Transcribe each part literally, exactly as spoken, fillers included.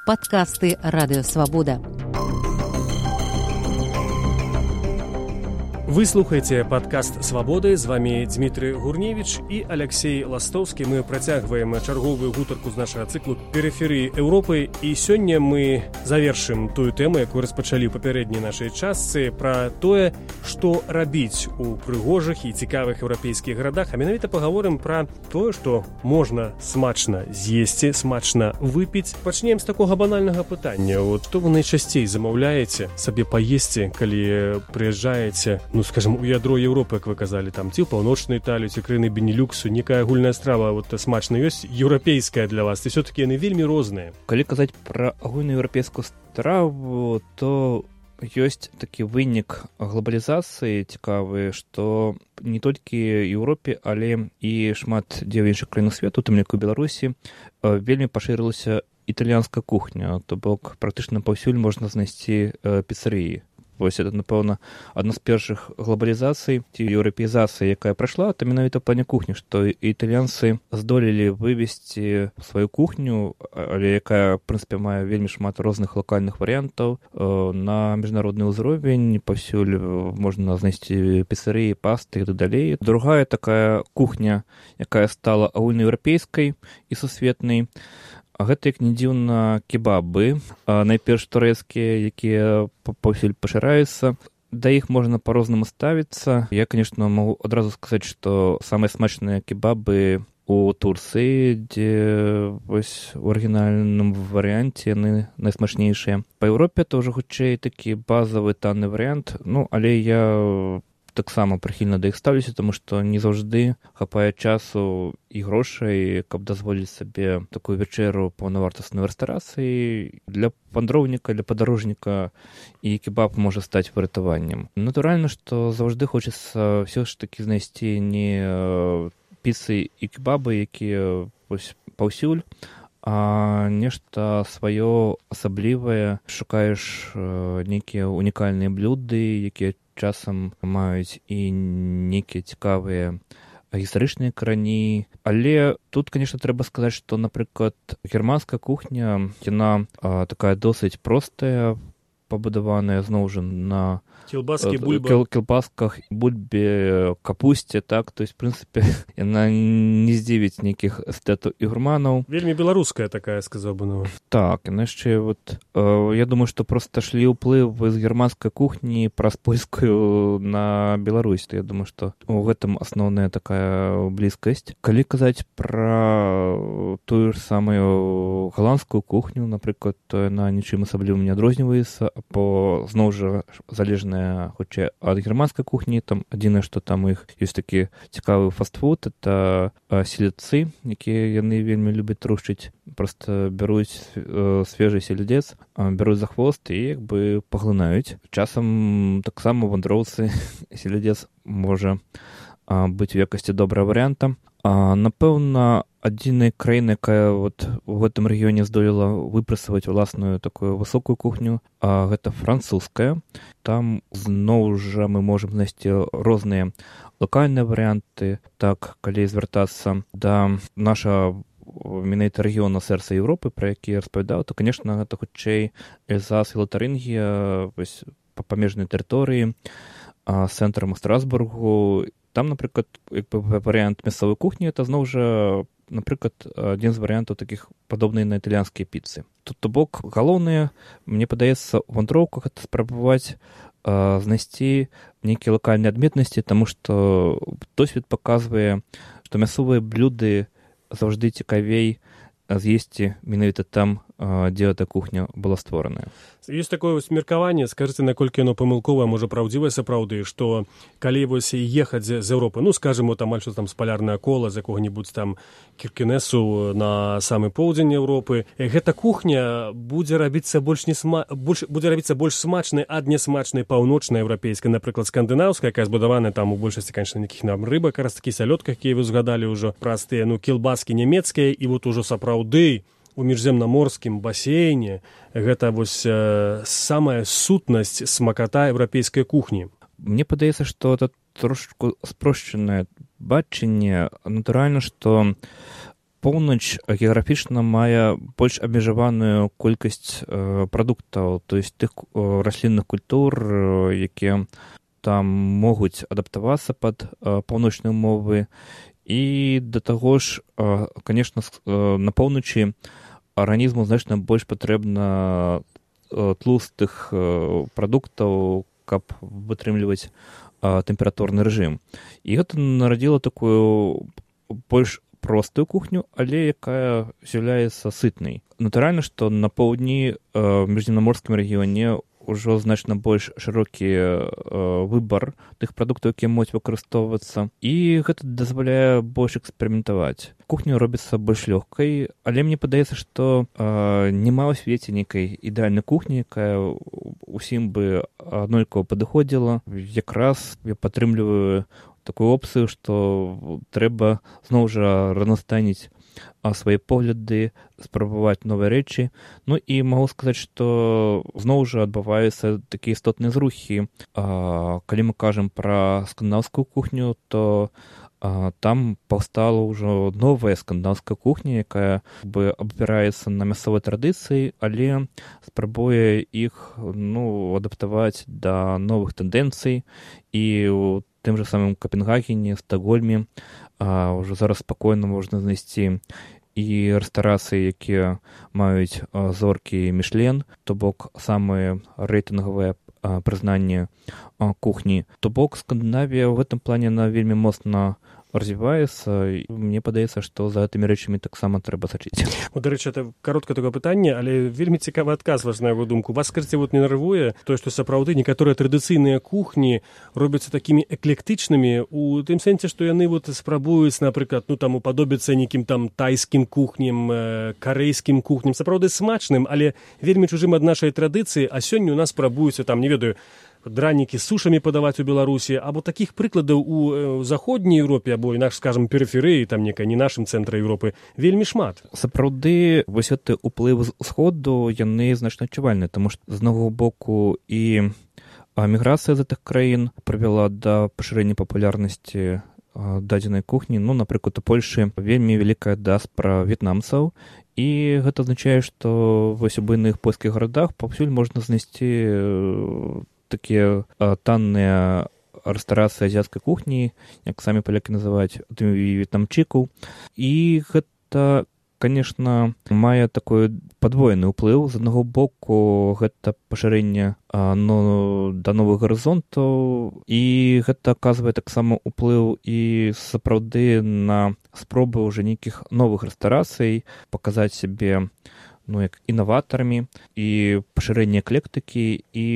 Подкасты «Радио Свобода». Вы слухаеце падкаст «Свабоды». З вами Дмітрый Гурневіч і Алексей Ластовскі. Мы працягваем чарговую гутарку з нашага цыклу «Перыферыі Еўропы». І сёння мы завершым тую тэму, якую распачалі ў папярэдняй нашай частцы, пра тое, што рабіць у прыгожых і цікавых еўрапейскіх гарадах. А менавіта пагаворым пра тое, што можна смачна з'есці, смачна выпіць. Пачнем з такога банальнага пытання. От што вы найчасцей замаўляеце сабе паесці, калі прыязджаеце, ну, скажем, у ядро Еўропы, як вы казалі, там, ці ў паўночную Італію, ці краіны Бенелюксу, некая агульная страва, вот, смачна ёсць, еўрапейская для вас, і все-таки яны вельмі розныя. Калі казаць пра агульную еўрапейскую страву, то ёсць такі вынік глобалізацыі цікавы, што не толькі Еўропе, але і шмат дзе ў іншых краінах свету, тым як у Беларусі, вельмі пашырылася італьянская кухня, то бок практычна паўсюль можна знайсці піцэрыі. Вось это, напэўна, адна з першых глобалізацый ці еўрапеізацыі, якая прайшла, то менавіта ў плане кухні, што італьянцы здолелі вывесці сваю кухню, але якая, в прынцыпе, мае вельмі шмат розных лакальных варыянтаў на міжнародны ўзровень, паўсюль можна знайсці піцэрыі, пасты і так далей. Другая такая кухня, якая стала агульнаеўрапейскай і сусветнай, а гэта, як не дзіўна, кебабы, найперш турэцкія, якія паўсюль пашыраюцца. Да іх можна па-рознаму ставіцца. Я, конечно, магу адразу сказаць, што самыя смачныя кебабы у Турцыі, дзе вось у арыгінальным варыянце яны найсмачнейшыя. Па Еўропе то ўжо хутчэй такі базавы танны варыянт, ну, але я таксама прыхільна да іх ставлюся, таму што не заўжды хапае часу і грошай, каб дазволіць сабе такую вечеру паўнавартаснай рэстарацыі. Для вандроўніка, для падарожніка і кебаб можа стаць выратаваннем. Натуральна, што заўжды хочацца ўсё ж такі знайсці не піцы і кебабы, якія вось паўсюль, а нешта сваё асаблівае. Шукаеш нейкія унікальныя блюды, якія часам маюць і нейкія цікавыя гістарычныя карані. Але тут, конечно, трэба сказаць, што, напрыклад, германская кухня, яна а, такая досыць простая, пабудаваная зноў жа на кілбаскі, бульба. Кіл, кілбасках, бульбе, капусце, так, то есть, в прынцыпе, яна не здзівіць нейкіх эстэтаў і гурманаў. Вельмі беларуская такая, сказаў бы, ну. Так, яна яшчэ, вот, э, я думаю, што проста шлі ўплыў з германскай кухні праз польскую на Беларусь, то я думаю, што у гэтым асноўная такая блізкасць. Калі казаць пра тую ж самую галандскую кухню, напрыклад, то яна нічым асаблівым не адрозніваецца, бо зноў жа залежна хутчэй ад германскай кухні. Там адзінае, што там у іх ёсць такі цікавы фастфуд, это селядцы, якія яны вельмі любяць трушчыць. Проста бяруць э, свежы селядец, бяруць за хвост і як бы паглынаюць. Часам таксама вандроўцы селядец можа а, быць у якасці добрага варыянта. А, напэўна, адзінай краіны, якая вот у гэтым рэгіёне здолела выпрацаваць уласную такую высокую кухню, а гэта французская. Там зноў жа мы можам знайсці розныя лакальныя варыянты. Так, калі звяртацца да нашага менавіта рэгіёна сэрца Еўропы, пра які я распавядаў, то, конечно, гэта хутчэй Эльзас і Лотарэнгія, вось па памежнай тэрыторыі, з цэнтрам Страсбургу. Там, напрыклад, як бы варыянт мясцовай кухні, это зноў жа, напрыклад, адзін з варыянтаў такіх падобных на італьянскія піцы. Тут, то бок, галоўнае, мне падаецца, у вандроўках это спрабаваць а, знайсці нейкія лакальныя адметнасці, таму што досвед паказвае, што мясцовыя блюды заўжды цікавей з'есці менавіта там, дзе эта кухня была створаная. Ёсць такое вось меркаванне, скажыце, наколькі яно памылковае, можа праўдзівае сапраўды, што калі вось ехаць з Еўропы, ну, скажем, вот амаль што там з палярнае кола, з якога-небудзь там Кіркенесу на самы поўдзень Еўропы, гэта кухня будзе рабіцца больш не сма... больш... будзе рабіцца больш смачнай ад несмачнай паўночнаеўрапейскай, напрыклад, скандынаўскай, якая збудавана там у большасці, канечна, нейкіх нам рыбак, раз такі сялёдках, якія вы згадалі ўжо, праз тыя, ну, кілбаскі нямецкія, і вот ужо сапраўды у міжземнаморскім басейне гэта вось э, самая сутнасць смаката еўрапейскай кухні. Мне падаецца, што это трошку спрошчанае бачанне. Натуральна, што поўнач геаграфічна мае больш абмежаваную колькасць э, прадуктаў, то есть тых э, раслінных культур, э, якія там могуць адаптавацца пад э, паўночныя умовы. І да таго ж, э, конечно, э, на поўначы арганізму значна больш патрэбна э, тлустых э, прадуктаў, каб вытрымліваць э, тэмпературны рэжым. І гэта нарадзіла такую больш простую кухню, але якая з'яўляецца сытнай. Натуральна, што на поўдні в міжземнаморскім рэгіёне ўжо значна больш шырокі выбар тых прадуктаў, якія могуць выкарыстоўвацца, і гэта дазваляе больш эксперыментаваць. Кухня робіцца больш лёгкай, але мне падаецца, што няма ў свеце нейкай ідэальнай кухні, якая ўсім бы аднолькава падыходзіла. Якраз я падтрымліваю такую опцыю, што трэба зноў жа разнастайніць свае погляды, спрабаваць новыя рэчы. Ну і магу сказаць, што зноў жа адбываюцца такія істотныя зрухі. Калі мы кажам пра скандынаўскую кухню, то там паўстала ўжо новая скандынаўская кухня, якая бы абапіраецца на мясцовай традыцыі, але спрабуе іх ну, адаптаваць да новых тэндэнцый. І ў тым жа самым Капенгагене, Стакгольме а, ўжо зараз спакойна можна знайсці і рэстарацыі, якія маюць а, зоркі Мішлен, то бок самыя рэйтынгавыя а, прызнанні а, кухні. То бок Скандынавія ў гэтым плане на вельмі моцна развіваецца, і мне падаецца, што за гэтымі рэчамі таксама трэба сачыць. Ну, дарэчы, это кароткае такое пытанне, але вельмі цікавы адказ ваш на яго думку. Вас, скажыце, вот не нервуе тое, што сапраўды некаторыя традыцыйныя кухні робяцца такімі эклектычнымі у тым сэнсе, што яны вот спрабуюць, напрыклад, ну там уподобіцца нейкім там тайскім кухням, карэйскім кухням, сапраўды смачным, але вельмі чужым ад нашай традыцыі, а сёння у нас спрабуюцца там, не ведаю, дранікі з сушамі падаваць у Беларусі, або такіх прыкладаў у заходняй Еўропе, або інакш, скажам, перыферыі, там некай не нашым цэнтры Еўропы, вельмі шмат. Сапраўды, вось гэты ўплыў сходу, яны значна адчувальныя, таму што з однаго боку і міграцыя з гэтых краін прывяла да пашырэння папулярнасці дадзенай кухні. Ну, напрыклад, у Польшы вельмі вялікая дыаспара в'етнамцаў, і гэта азначае, што вось у буйных польскіх гарадах паўсюль можна знайсці такія танныя рэстарацыі азіяцкай кухні, як самі палякі называюць, в'етнамчыкаў. І гэта, конечно, мае такой падвоены ўплыў. З аднаго боку, гэта пашырэнне ну, да новых гарызонтаў, і гэта аказвае таксама ўплыў і сапраўды на спробы ўжо нейкіх новых рэстарацый, паказаць сябе ну, як інаватарамі і пашырэнне эклектыкі. І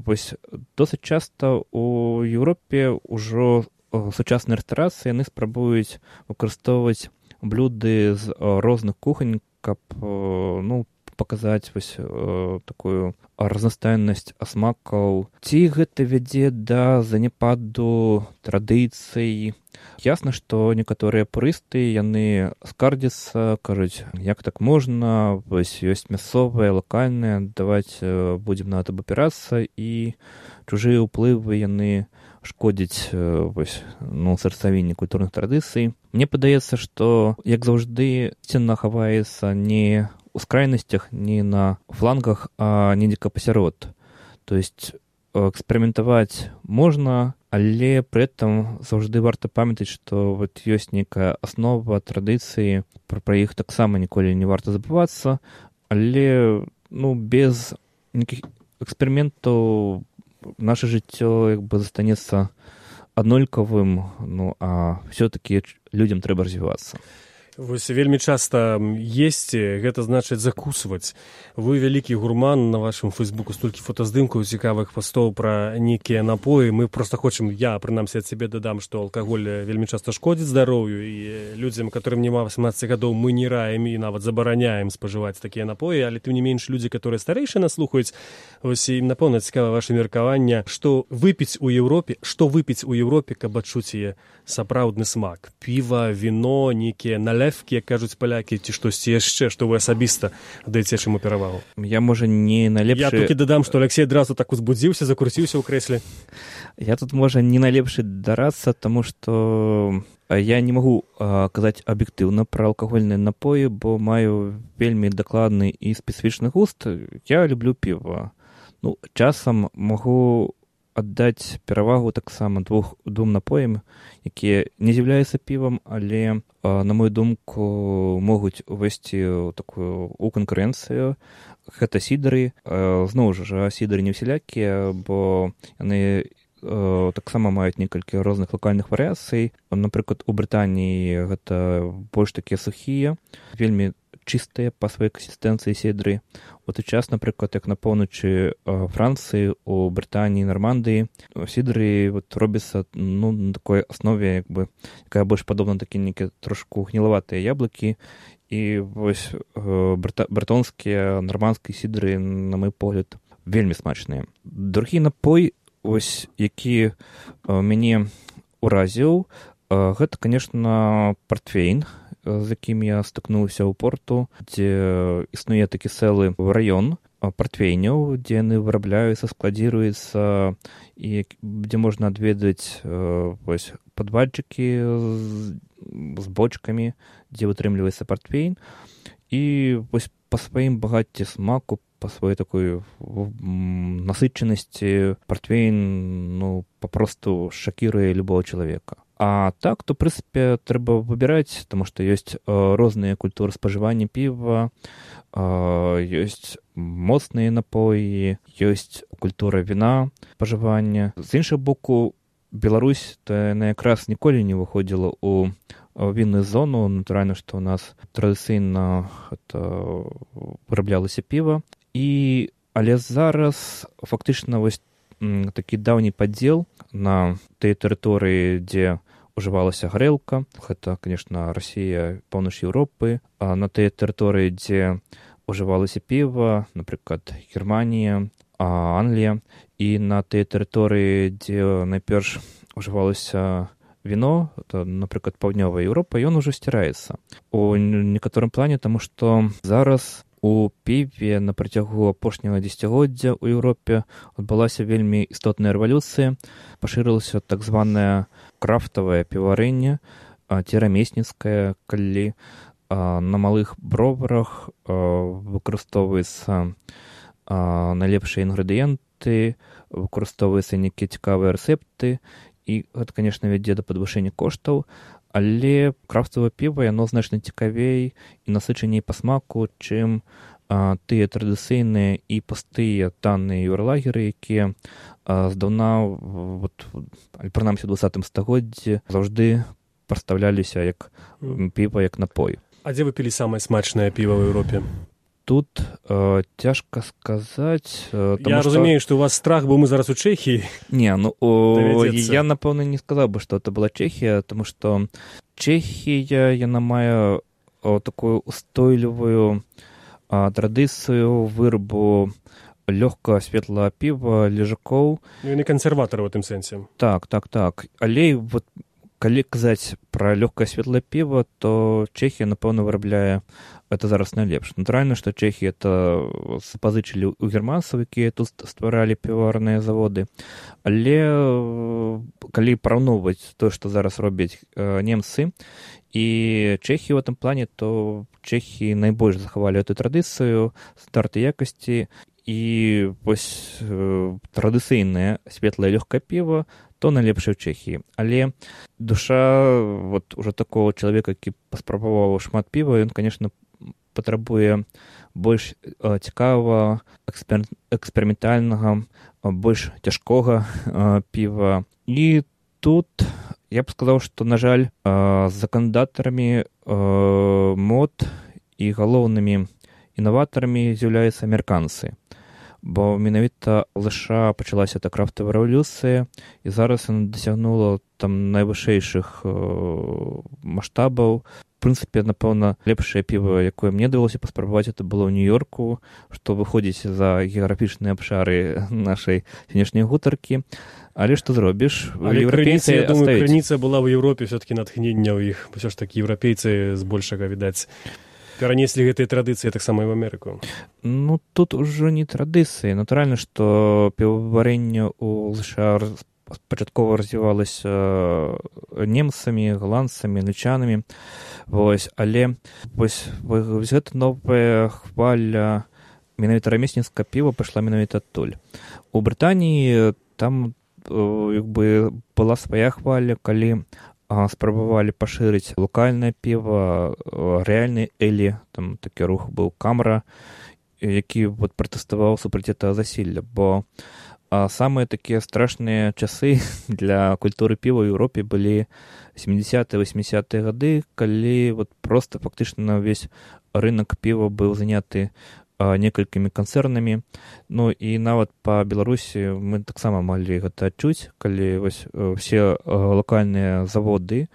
вось досыць часта у Еўропе ўжо сучасныя рэстарацыі яны спрабуюць выкарыстоўваць блюды з розных кухань, каб ну, паказаць вось такую разнастайнасць смакаў. Ці гэта вядзе да заняпаду традыцый? Ясна, што некаторыя пурысты, яны скардзяцца, кажуць, як так можна, вось ёсць мясцовыя, лакальныя, даваць будзем на гэта абапірацца, і чужыя ўплывы яны шкодзяць вось, ну, сарцавінні культурных традыцый. Мне падаецца, што, як заўжды, сцена хаваецца не ў скрайнасцях, не на флангах, а недзе пасярод. То есть эксперыментаваць можна, але пры этом заўжды варта памятаць, што вот ёсць нейкая аснова традыцыі, пра, пра іх таксама ніколі не варта забывацца, але ну, без нейкіх эксперыментаў наше жыццё як бы застанецца аднолькавым, ну а все-таки людям трэба развівацца. Вось вельмі часта есці, гэта значыць закусваць. Вы вялікі гурман, на вашым фейсбуку столькі фотаздымкаў цікавых пастоў пра нейкія напоі. Мы проста хочам, я прынамсі ад сябе дадам, што алкаголь вельмі часта шкодзіць здароўю, і людзям, которым няма восемнадцати гадоў, мы не раем і нават забараняем спажываць такія напоі, але тым не менш людзі, которые старэйшыя нас слухаюць, вось ім напэўна цікава ваше меркаванне, што выпіць у Еўропе, што выпіць у Еўропе, каб адчуць яе сапраўдны смак. Піва, віно, нейкія налевкі, як кажуць палякі, ці штосьці яшчэ, што вы асабіста даеце чаму перавагу? Я, можа, не найлепшы... Я толькі дадам, што Алексей адразу так узбудзіўся, закруціўся ў крэсле. Я тут, можа, не найлепшы дарацца, таму што я не магу а, казаць аб'ектыўна пра алкагольныя напоі, бо маю вельмі дакладны і спецыфічны густ. Я люблю піва. Ну, часам магу аддаць перавагу таксама двух двум напоям, якія не з'яўляюцца півам, але, а, на мою думку, могуць увайсці ў такую у канкурэнцыю. Гэта сідары. А, зноў жа, сідары не ўсялякія, бо яны таксама маюць некалькі розных локальных варыяцый. Напрыклад, у Брытаніі гэта больш такія сухія, вельмі чыстыя па сваёй кансістэнцыі сідры. У той час, напрыклад, як на поўначы Францыі, у Брытаніі, Нармандыі, сідры вот робяцца, ну, на такой аснове, як бы, якая больш падобна такі нейкія трошку гнілаватыя яблыкі. І вось брата, братонскія, нармандскія сідры, на мой погляд, вельмі смачныя. Другі напой, ось, які а, мяне уразіў, а, гэта, конечно, партвейн, з якім я стыкнуўся ў порту, дзе існуе такі цэлы раён партвейняў, дзе яны вырабляюцца, складзіруюцца, і дзе можна адведаць ось, падвальчыкі з, з бочкамі, дзе вытрымліваецца партвейн. І вось па сваім багацці смаку, по своей такой насыщенности портвейн, ну, попросту шокирует любого человека. А так, то, в принципе, треба выбирать, потому что есть э, разные культуры споживания пива, э, есть моцные напои, есть культура вина споживания. З іншого боку, Беларусь, то яна якраз ніколі не выходила у вінную зону. Натуральна, што у нас традыцыйна выраблялася піва. І, але зараз фактычна вось такі даўні падзел на тыя тэрыторыі, дзе ужывалася гарэлка. Гэта, конечно, Расія, паўноч Еўропы. А на тыя тэрыторыі, дзе ужывалася піва, напрыклад, Германія, Англія. І на тыя тэрыторыі, дзе найперш ужывалася віно, то, напрыклад, паўднёвая Еўропа, ён ужо сціраецца. У некаторым плане, таму што зараз у піве на працягу апошняга дзесяцігоддзя ў Еўропе адбылася вельмі істотная рэвалюцыя. Пашырылася так званае крафтавае піваварэнне, ці рамесніцкае, калі на малых броварах выкарыстоўваюцца найлепшыя інгрэдыенты, выкарыстоўваюцца нейкія цікавыя рэцэпты, і гэта, конечно, вядзе да падвышэння коштаў. Але крафтавае піва, яно значна цікавей і насычаней па смаку, чым а, тыя традыцыйныя і пустыя танныя юрлагеры, якія а, здаўна, вот, прынамсі ў двадцатым стагоддзі, заўжды прадстаўляліся як піва, як напой. А дзе вы пілі самае смачнае піва ў Еўропе? Тут э, цяжка сказаць. Э, я што... разумею, што у вас страх, бо мы зараз у Чэхіі. Не, ну о, я, напэўна, не сказаў бы, што это была Чэхія, тому што Чэхія, яна мае о, такую устойлівую а, традыцыю вырабу лёгкага светлага піва, лежакоў. Ну, яны кансерватары ў тым сэнсе. Так, так, так. Але вот калі казаць пра лёгкае светлае піва, то Чэхія, напэўна, вырабляе это зараз найлепш. Натуральна, што Чэхі это запазычылі ў германцаў, якія тут стваралі піваварныя заводы. Але калі параўноўваць то, што зараз робяць э, немцы і Чэхі ў гэтым плане, то Чэхі найбольш захавалі эту традыцыю, стандарты якасці, і вось э, традыцыйнае светлае лёгкае піва то найлепшае ў Чэхіі. Але душа вот уже такого чалавека, які паспрабаваў шмат піва, ён, конечно, патрабуе больш э, цікавага, экспер... эксперыментальнага, э, больш цяжкога э, піва. І тут я б сказаў, што, на жаль, э, заканадатарамі э, мод і галоўнымі інаватарамі з'яўляюцца амерыканцы. Бо менавіта ў ЗША пачалася та крафтавая рэвалюцыя, і зараз яна дасягнула там найвышэйшых э, маштабаў. В прынцыпе, напэўна, лепшае піва, якое мне давялося паспрабаваць, это было ў Нью-Йорку, што выходзіць за геаграфічныя абшары нашай сённяшняй гутаркі. Але што зробіш? Але крыніца, я думаю, крыніца была ў Еўропе все-таки натхнення ў іх. Усё ж такі еўрапейцы збольшага, відаць, перанеслі гэтыя традыцыі таксама і ў Амерыку. Ну, тут ужо не традыцыі. Натуральна, што піваварэнне ў ЗША пачаткова развівалася немцамі, галандцамі, англічанамі. Вось, але вось, вось гэта новая хваля менавіта рамесніцкага піва пайшла менавіта адтуль. У Брытаніі там як бы была свая хваля, калі спрабавалі пашырыць локальнае піва, рэальны элі, там такі рух быў Камара, які вот пратэставаў супраць гэтага засілля, бо а самыя такія страшныя часы для культуры піва ў Еўропе былі сямідзясятыя восьмідзясятыя гады, калі вот проста фактычна ўвесь рынок піва быў заняты а, некалькімі канцэрнамі. Ну і нават па Беларусі мы таксама маглі гэта адчуць, калі вось усе локальныя заводы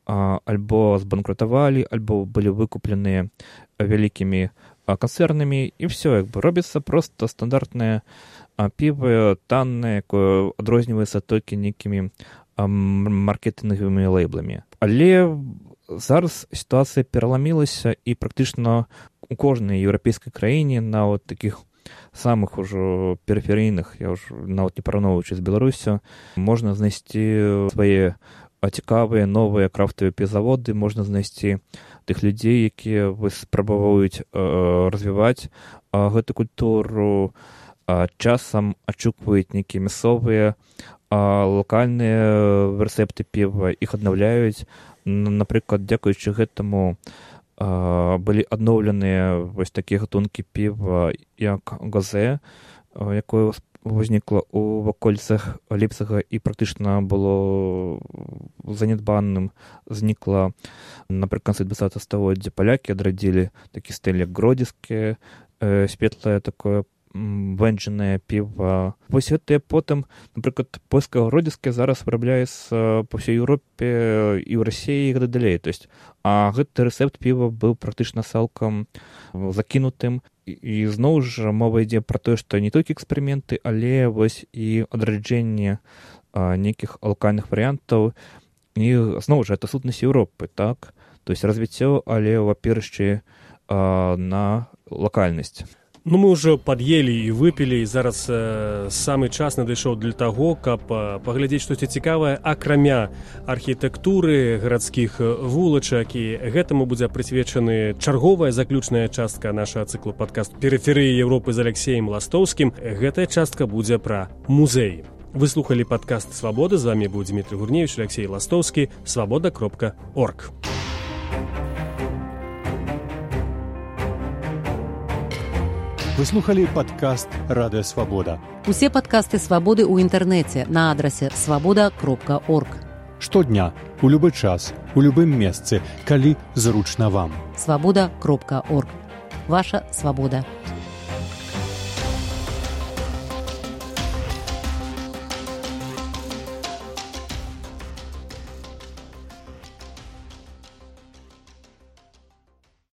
а, альбо збанкрутавалі, альбо былі выкупленыя вялікімі канцэрнамі, і все, як бы робіцца проста стандартнае а піва таннае, якое адрозніваецца толькі нейкімі маркетынгавымі лейбламі. Але зараз сітуацыя пераламілася, і практычна у кожнай еўрапейскай краіне, нават такіх самых ужо перыферыйных, я ўжо нават не параўноўваючы з Беларусю, можна знайсці свае цікавыя новыя крафтавыя півзаводы, можна знайсці тых людзей, якія спрабуюць развіваць гэту культуру, часам адшукваюць нейкія мясцовыя локальныя рэцэпты піва, іх аднаўляюць. Напрыклад, дзякуючы гэтаму былі адноўленыя вось такія гатункі піва, як газе, якое узнікла ў ваколіцах Лейпціга і практычна было занядбаным. Знікла напрыканцы дваццатага стагоддзя. Палякі адрадзілі такі стыль, як гродзенскае, светлае такое вэнджанае піва. Вось гэтыя потым, напрыклад, польскае гродзенскае зараз вырабляецца па ўсёй Еўропе і ў Расіі і гэтак далей. То есть, а гэты рэцэпт піва быў практычна цалкам закінутым. І зноў жа мова ідзе пра тое, што не толькі эксперыменты, але вось і адраджэнне нейкіх локальных варыянтаў. І зноў жа, гэта сутнасць Еўропы, так? То есть развіццё, але ў апірышчы на лакальнасць. Ну, мы ўжо пад'елі і выпілі, і зараз э, самы час надышоў для таго, каб э, паглядзець штосьці цікавае, акрамя архітэктуры, гарадскіх вулачак, і гэтаму будзе прысвечаны чарговая заключная частка нашага цыклу падкаст «Перыферыі Еўропы» з Алексеем Ластоўскім. Гэтая частка будзе пра музей. Вы слухалі падкаст «Свабода», з вамі быў Дмітрый Гурневіч, Алексей Ластоўскі, свабода кропка орг. Вы слухали падкаст «Радыё Свабода». Усе падкасты «Свабоды» ў інтэрнэце на адрасе свабода кропка орг. Штодня, у любы час, у любым месцы, калі зручна вам. свабода кропка орг. Ваша свабода.